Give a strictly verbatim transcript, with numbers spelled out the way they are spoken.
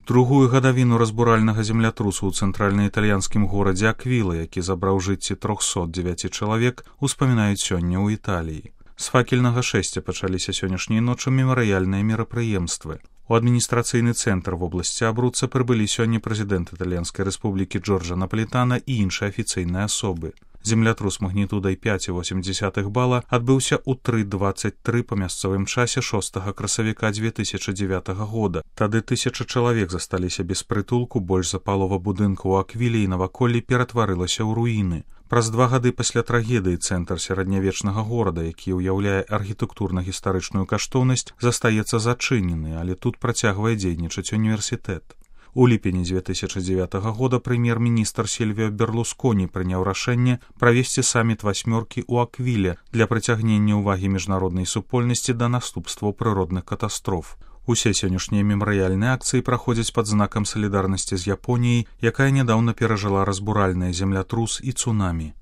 Другую гадавіну разбуральнага землятрусу ў цэнтральна-італьянскім горадзе Аквіла, які забраў жыцці трохсот дзевяці чалавек, успамінаюць сёння ў Італіі. З факельнага шэсця пачаліся сённяшняй ночы мемарыяльныя мерапрыемствы. У адміністрацыйны цэнтр вобласці Абруца прыбылі сёння прэзідэнт Італьянскай рэспублікі Джорджа Напалітана і іншыя афіцыйныя асобы. Землятрус магнітудай пяць і восем дзесятых бала адбыўся ў тры дваццаць тры па мясцовым часе шостага красавіка дзве тысячы дзевятага года. Тады тысяча чалавек засталіся без прытулку, больш за палова будынкаў у Аквіле і наваколлі ператварылася ў руіны. Праз два гады пасля трагедыі цэнтр сярэднявечнага горада, які ўяўляе архітэктурна-гістарычную каштоўнасць, застаецца зачынены, але тут працягвае дзейнічаць універсітэт. У ліпені дзве тысячы дзевятага года прэм'ер-міністр Сільвіо Берлусконі прыняў рашэнне правесці саміт васьмёркі ў Аквіле для прыцягнення ўвагі міжнароднай супольнасці да наступстваў прыродных катастроф. Усе сённяшнія мемарыяльныя акцыі праходзяць пад знакам салідарнасці з Японіяй, якая нядаўна перажыла разбуральныя землятрус і цунамі.